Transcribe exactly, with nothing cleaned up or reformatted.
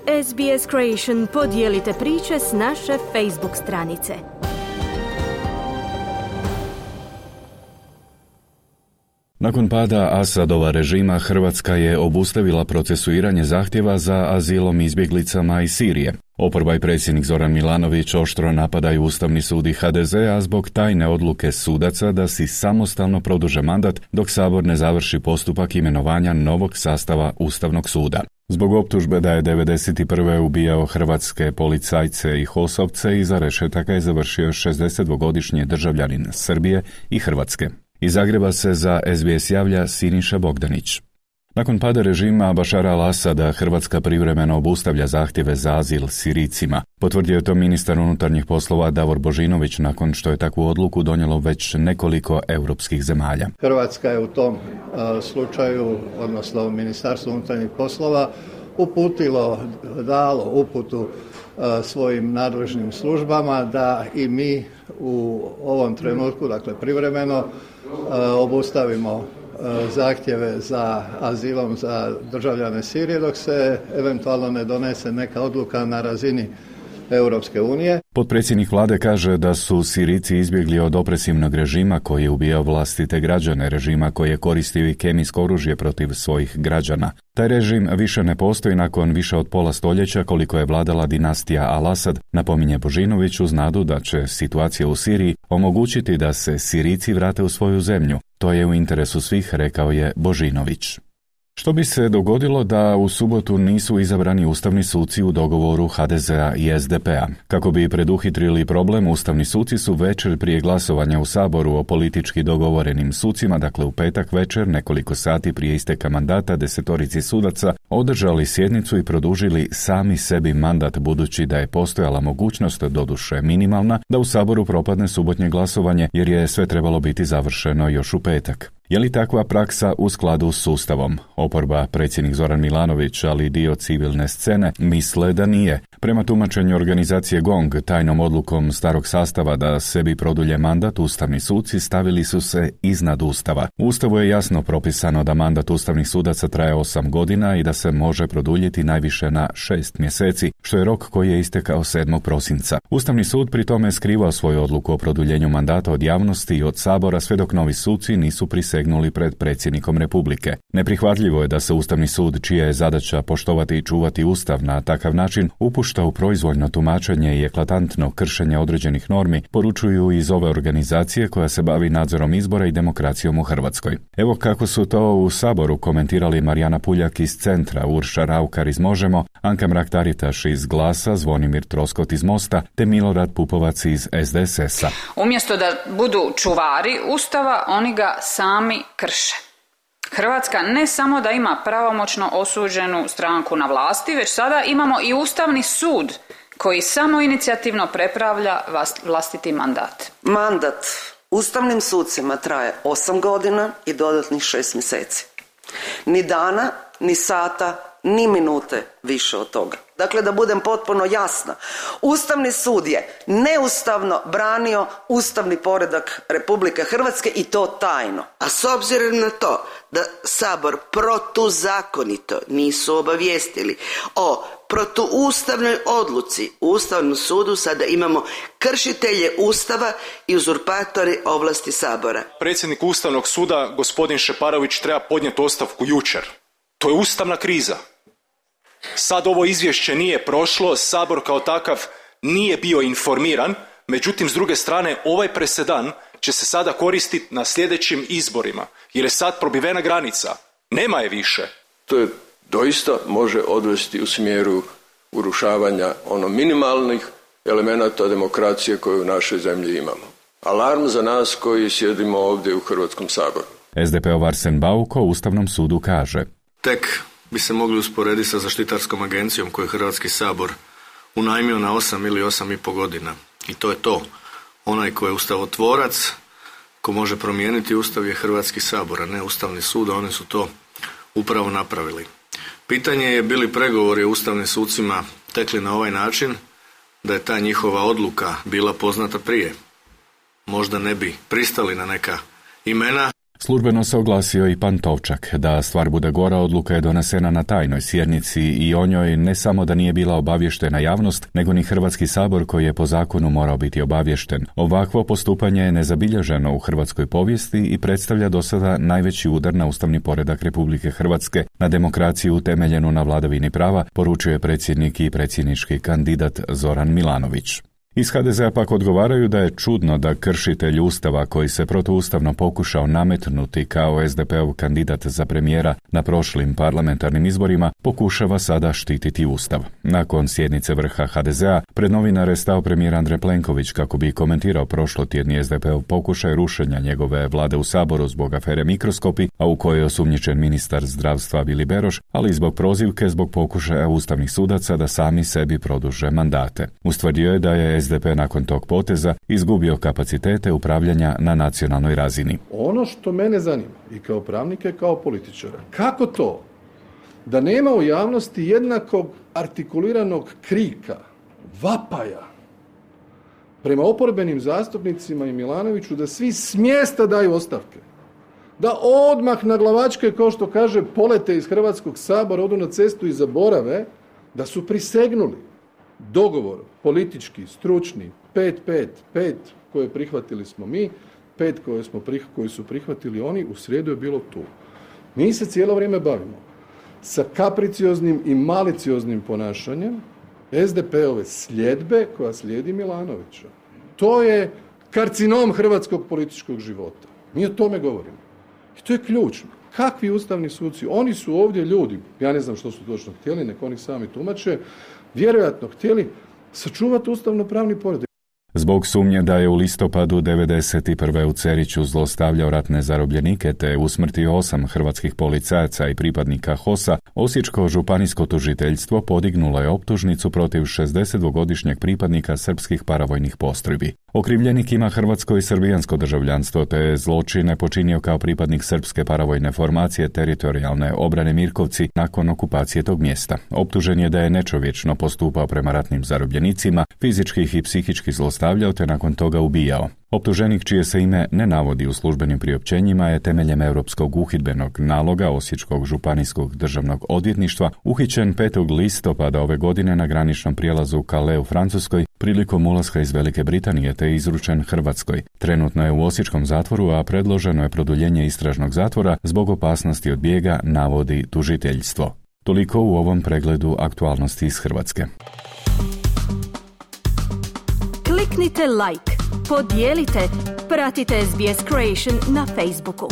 S B S Creation podijelite priče s naše Facebook stranice. Nakon pada Asadova režima, Hrvatska je obustavila procesuiranje zahtjeva za azilom izbjeglicama iz Sirije. Oporba i predsjednik Zoran Milanović oštro napadaju Ustavni sud i H D Z, a zbog tajne odluke sudaca da si samostalno produže mandat dok Sabor ne završi postupak imenovanja novog sastava Ustavnog suda. Zbog optužbe da je devedeset prve ubijao hrvatske policajce i HOS-ovce, iza rešetaka je završio šezdesetdvogodišnji državljanin Srbije i Hrvatske. Iz Zagreba se za S B S javlja Siniša Bogdanić. Nakon pada režima Bašara al-Asada, Hrvatska privremeno obustavlja zahtjeve za azil Sirijcima. Potvrdio je to ministar unutarnjih poslova Davor Božinović nakon što je takvu odluku donijelo već nekoliko europskih zemalja. Hrvatska je u tom uh, slučaju, odnosno Ministarstvo unutarnjih poslova, uputilo, dalo uputu uh, svojim nadležnim službama da i mi u ovom trenutku, dakle privremeno, uh, obustavimo zahtjeve za azilom za državljane Sirije dok se eventualno ne donese neka odluka na razini Europske unije. Potpredsjednik vlade kaže da su Sirijci izbjegli od opresivnog režima koji je ubijao vlastite građane, režima koji je koristio i kemijsko oružje protiv svojih građana. Taj režim više ne postoji nakon više od pola stoljeća koliko je vladala dinastija Al-Asad, napominje Božinović uz nadu da će situacija u Siriji omogućiti da se Sirijci vrate u svoju zemlju. To je u interesu svih, rekao je Božinović. Što bi se dogodilo da u subotu nisu izabrani ustavni suci u dogovoru H D Z-a i S D P-a? Kako bi preduhitrili problem, ustavni suci su večer prije glasovanja u Saboru o politički dogovorenim sucima, dakle u petak večer, nekoliko sati prije isteka mandata desetorici sudaca, održali sjednicu i produžili sami sebi mandat, budući da je postojala mogućnost, doduše minimalna, da u Saboru propadne subotnje glasovanje, jer je sve trebalo biti završeno još u petak. Je li takva praksa u skladu s Ustavom? Oporba, predsjednik Zoran Milanović, ali i dio civilne scene, misle da nije. Prema tumačenju organizacije GONG, tajnom odlukom starog sastava da sebi produlje mandat, ustavni suci stavili su se iznad Ustava. U Ustavu je jasno propisano da mandat ustavnih sudaca traje osam godina i da se može produljiti najviše na šest mjeseci, što je rok koji je istekao sedmog prosinca. Ustavni sud pri tome skrivao svoju odluku o produljenju mandata od javnosti i od Sabora sve dok novi suci nisu prisegnuli pred predsjednikom Republike. Neprihvatljivo je da se Ustavni sud, čija je zadaća poštovati i čuvati Ustav, na takav način upušta u proizvoljno tumačenje i eklatantno kršenje određenih normi, poručuju iz ove organizacije koja se bavi nadzorom izbora i demokracijom u Hrvatskoj. Evo kako su to u Saboru komentirali Marijana Puljak iz Centra, Urša Raukar iz Možemo, Anka Mrak-Taritaš iz Glasa, Zvonimir Troskot iz Mosta te Milorad Pupovac iz S D S S-a. Umjesto da budu čuvari Ustava, oni ga sami krše. Hrvatska ne samo da ima pravomoćno osuđenu stranku na vlasti, već sada imamo i Ustavni sud koji samo inicijativno prepravlja vlastiti mandat. Mandat ustavnim sucima traje osam godina i dodatnih šest mjeseci. Ni dana, ni sata, ni minute više od toga. Dakle, da budem potpuno jasna, Ustavni sud je neustavno branio ustavni poredak Republike Hrvatske i to tajno. A s obzirom na to da Sabor protuzakonito nisu obavijestili o protuustavnoj odluci u Ustavnom sudu, sada imamo kršitelje Ustava i uzurpatori ovlasti Sabora. Predsjednik Ustavnog suda, gospodin Šeparović, treba podnijeti ostavku jučer. To je ustavna kriza. Sad ovo izvješće nije prošlo, Sabor kao takav nije bio informiran, međutim s druge strane ovaj presedan će se sada koristiti na sljedećim izborima, jer je sad probivena granica. Nema je više. To je doista može odvesti u smjeru urušavanja ono minimalnih elemenata demokracije koje u našoj zemlji imamo. Alarm za nas koji sjedimo ovdje u Hrvatskom saboru. S D P-ov Arsen Bauk o Ustavnom sudu kaže: Tek bi se mogli usporediti sa zaštitarskom agencijom koju je Hrvatski sabor unajmio na osam ili osam i pol godina. I to je to. Onaj ko je ustavotvorac, ko može promijeniti Ustav je Hrvatski sabor, a ne Ustavni sud, a oni su to upravo napravili. Pitanje je bili pregovori o ustavnim sucima tekli na ovaj način, da je ta njihova odluka bila poznata prije. Možda ne bi pristali na neka imena. Službeno se oglasio i Pantovčak. Da stvar bude gora, odluka je donesena na tajnoj sjednici i o njoj ne samo da nije bila obavještena javnost, nego ni Hrvatski sabor koji je po zakonu morao biti obavješten. Ovakvo postupanje je nezabilježeno u hrvatskoj povijesti i predstavlja do sada najveći udar na ustavni poredak Republike Hrvatske, na demokraciju utemeljenu na vladavini prava, poručuje predsjednik i predsjednički kandidat Zoran Milanović. Iz ha de zea pak odgovaraju da je čudno da kršitelj Ustava koji se protuustavno pokušao nametnuti kao es de peov kandidat za premijera na prošlim parlamentarnim izborima pokušava sada štititi Ustav. Nakon sjednice vrha ha de zea pred novinare stao premijer Andrej Plenković kako bi komentirao prošlotjedni es de peov pokušaj rušenja njegove vlade u Saboru zbog afere Mikroskopi, a u kojoj je osumnjičen ministar zdravstva Vili Beroš, ali i zbog prozivke zbog pokušaja ustavnih sudaca da sami sebi produže mandate. Ustvrdio je da je es de pe nakon tog poteza izgubio kapacitete upravljanja na nacionalnoj razini. Ono što mene zanima i kao pravnika i kao političara, kako to da nema u javnosti jednakog artikuliranog krika, vapaja prema oporbenim zastupnicima i Milanoviću da svi s mjesta daju ostavke, da odmah na glavačke, kao što kaže, polete iz Hrvatskog sabora, odu na cestu i zaborave da su prisegnuli dogovor politički, stručni, pet pet pet koje prihvatili smo mi, pet koje smo prih, koji su prihvatili oni, u srijedu je bilo tu. Mi se cijelo vrijeme bavimo sa kapricioznim i malicioznim ponašanjem es de peove sljedbe koja slijedi Milanovića. To je karcinom hrvatskog političkog života. Mi o tome govorimo. I to je ključno. Kakvi ustavni suci? Oni su ovdje ljudi, ja ne znam što su točno htjeli, nek oni sami tumače, vjerojatno htjeli sačuvati ustavno-pravni poredak. Zbog sumnje da je u listopadu devedeset prve u Ceriću zlostavljao ratne zarobljenike te usmrtio osam hrvatskih policajaca i pripadnika HOS-a, Osječko županijsko tužiteljstvo podignulo je optužnicu protiv šezdesetdvogodišnjeg pripadnika srpskih paravojnih postrojbi. Okrivljenik ima hrvatsko i srbijansko državljanstvo te je zločine počinio kao pripadnik srpske paravojne formacije teritorijalne obrane Mirkovci nakon okupacije tog mjesta. Optužen je da je nečovječno postupao prema ratnim zarobljenicima, fizički ih i psihički zlostavljao te nakon toga ubijao. Optuženik, čije se ime ne navodi u službenim priopćenjima, je temeljem Europskog uhidbenog naloga Osječkog županijskog državnog odvjetništva uhićen petog listopada ove godine na graničnom prijelazu Calais u Francuskoj prilikom ulaska iz Velike Britanije te izručen Hrvatskoj. Trenutno je u osječkom zatvoru, a predloženo je produljenje istražnog zatvora zbog opasnosti od bijega, navodi tužiteljstvo. Toliko u ovom pregledu aktualnosti iz Hrvatske. Kliknite like, podijelite, pratite es be es Creation na Facebooku.